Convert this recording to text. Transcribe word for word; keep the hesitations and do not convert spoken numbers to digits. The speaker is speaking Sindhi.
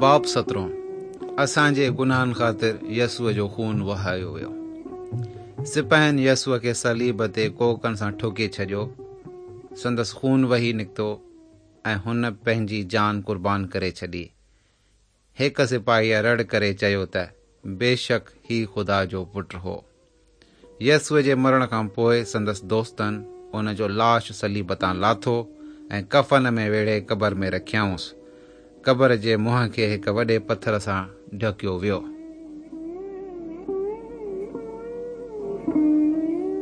باب سترهون، اسان جي گناهن خاطر يسوع جو خون وهايو ويو. سپاهين يسوع کي صليب تي ڪوڪن سان ٺوڪي ڇڏيو. سندس خون وهي نڪتو ۽ هن پنهنجي جان قربان ڪري ڇڏي. هڪ سپاهيء رڙ ڪري چيو ته بيشڪ هي خدا جو پٽ هو. يسوع جي مرڻ کان پوءِ سندس دوستن ان جو لاش صليب تان لاٿو ۽ ڪفن ۾ ويڙهي قبر ۾ رکيائونس. قبر جي منهن کي هڪ وڏي پٿر سان ڍڪيو ويو.